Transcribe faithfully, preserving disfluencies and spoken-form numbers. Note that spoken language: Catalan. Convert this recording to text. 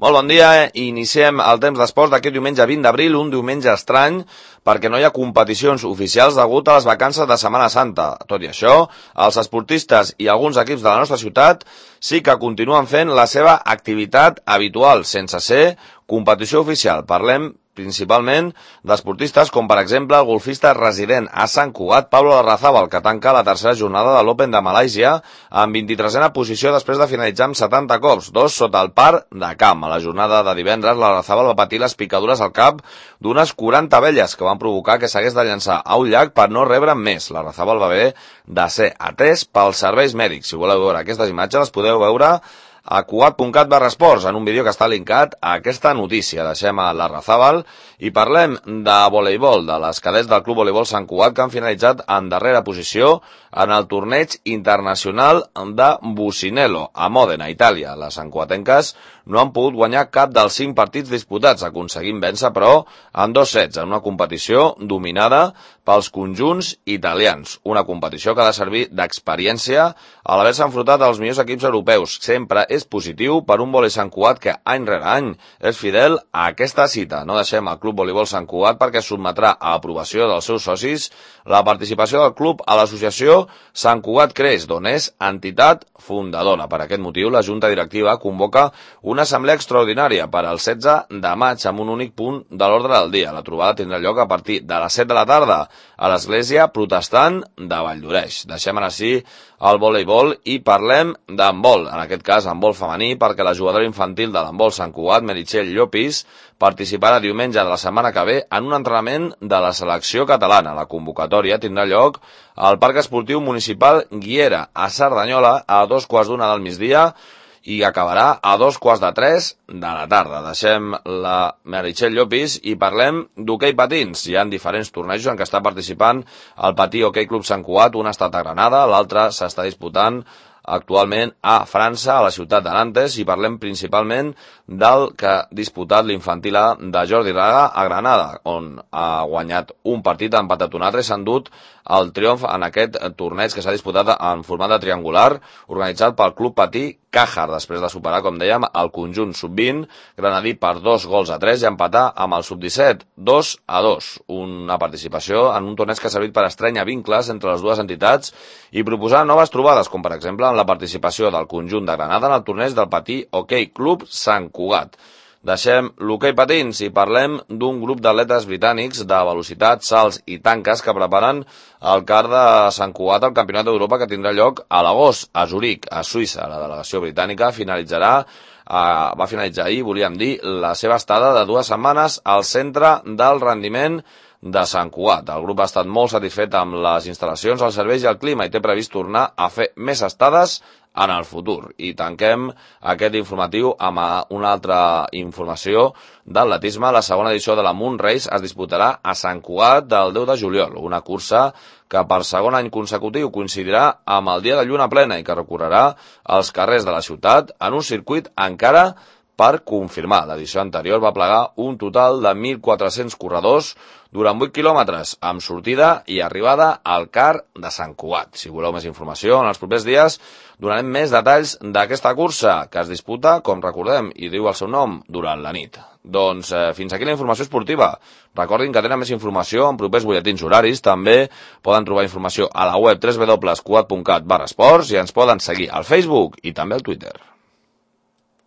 Molt bon dia, iniciem el temps d'esports d'aquest diumenge vint d'abril, un diumenge estrany perquè no hi ha competicions oficials degut a les vacances de Setmana Santa. Tot i això, els esportistes i alguns equips de la nostra ciutat sí que continuen fent la seva activitat habitual, sense ser competició oficial. Parlem principalment d'esportistes com, per exemple, el golfista resident a Sant Cugat, Pablo Larrazábal, que tanca la tercera jornada de l'Open de Malàisia en vint-i-tresena posició després de finalitzar amb setanta cops, dos sota el par de camp. A la jornada de divendres, Larrazábal va patir les picadures al cap d'unes quaranta abelles que van provocar que s'hagués de llançar a un llac per no rebre més. Larrazábal va haver de ser atès pels serveis mèdics. Si voleu veure aquestes imatges, les podeu veure a cugat punt cat barra esports, en un vídeo que està linkat a aquesta notícia. Deixem a Larrazábal i parlem de voleibol, de les cadets del Club Voleibol Sant Cugat, que han finalitzat en darrera posició en el torneig internacional de Bucinello, a Mòdena, Itàlia. Les santcugatenques no han pogut guanyar cap dels cinc partits disputats, aconseguint vèncer, però, en dos sets, en una competició dominada pels conjunts italians. Una competició que ha de servir d'experiència a l'haver-se enfrontat als millors equips europeus. Sempre és positiu per un vòlei Sant Cugat que any rere any és fidel a aquesta cita. No deixem el Club Voleibol Sant Cugat perquè sotmetrà a aprovació dels seus socis la participació del club a l'associació Sant Cugat Creix, d'on és entitat fundadora. Per aquest motiu, la Junta Directiva convoca una assemblea extraordinària per al setze de maig amb un únic punt de l'ordre del dia. La trobada tindrà lloc a partir de les set de la tarda a l'Església Protestant de Valldoreix. Deixem ara sí el voleibol i parlem d'handbol, en aquest cas handbol femení, perquè la jugadora infantil de l'handbol Sant Cugat, Meritxell Llopis, participarà diumenge de la setmana que ve en un entrenament de la selecció catalana. La convocatòria tindrà lloc al Parc Esportiu Municipal Guiera, a Cerdanyola, a dos quarts d'una del migdia, i acabarà a dos quarts de tres de la tarda. Deixem la Meritxell Llopis i parlem d'hoquei patins. Hi ha diferents tornejos en què està participant el Patí Hoquei Club Sant Cugat. Un ha estat a Granada, l'altre s'està disputant actualment a França, a la ciutat de Nantes, i parlem principalment del que ha disputat l'infantil A de Jordi Raga a Granada, on ha guanyat un partit, ha empatat un altre i s'ha endut el triomf en aquest torneig que s'ha disputat en format de triangular, organitzat pel Club Patí Càjar, després de superar, com dèiem, el conjunt sub vint granadí per dos gols a tres i empatar amb el sub disset dos a dos. Una participació en un torneig que ha servit per estrènyer vincles entre les dues entitats i proposar noves trobades, com per exemple en la participació del conjunt de Granada en el torneig del Patí Hoquei Club Sant Cugat. Deixem l'hoquei patins i parlem d'un grup d'atletes britànics de velocitat, salts i tanques que preparen el car de Sant Cugat al Campionat d'Europa que tindrà lloc a l'agost a Zuric, a Suïssa. La delegació britànica finalitzarà, eh, va finalitzar ahir, volíem dir, la seva estada de dues setmanes al centre del rendiment de Sant Cugat. El grup ha estat molt satisfet amb les instal·lacions, els serveis i el clima i té previst tornar a fer més estades en el futur. I tanquem aquest informatiu amb una altra informació d'atletisme. La segona edició de la Moon Race es disputarà a Sant Cugat del deu de juliol, una cursa que per segon any consecutiu coincidirà amb el dia de lluna plena i que recorrerà els carrers de la ciutat en un circuit encara per confirmar. L'edició anterior va plegar un total de mil quatre-cents corredors durant vuit quilòmetres, amb sortida i arribada al car de Sant Cugat. Si voleu més informació, en els propers dies donarem més detalls d'aquesta cursa que es disputa, com recordem, i diu el seu nom, durant la nit. Doncs eh, fins aquí la informació esportiva. Recordin que tenen més informació en propers butlletins horaris. També poden trobar informació a la web w w w punt cugat punt cat barra esports i ens poden seguir al Facebook i també al Twitter.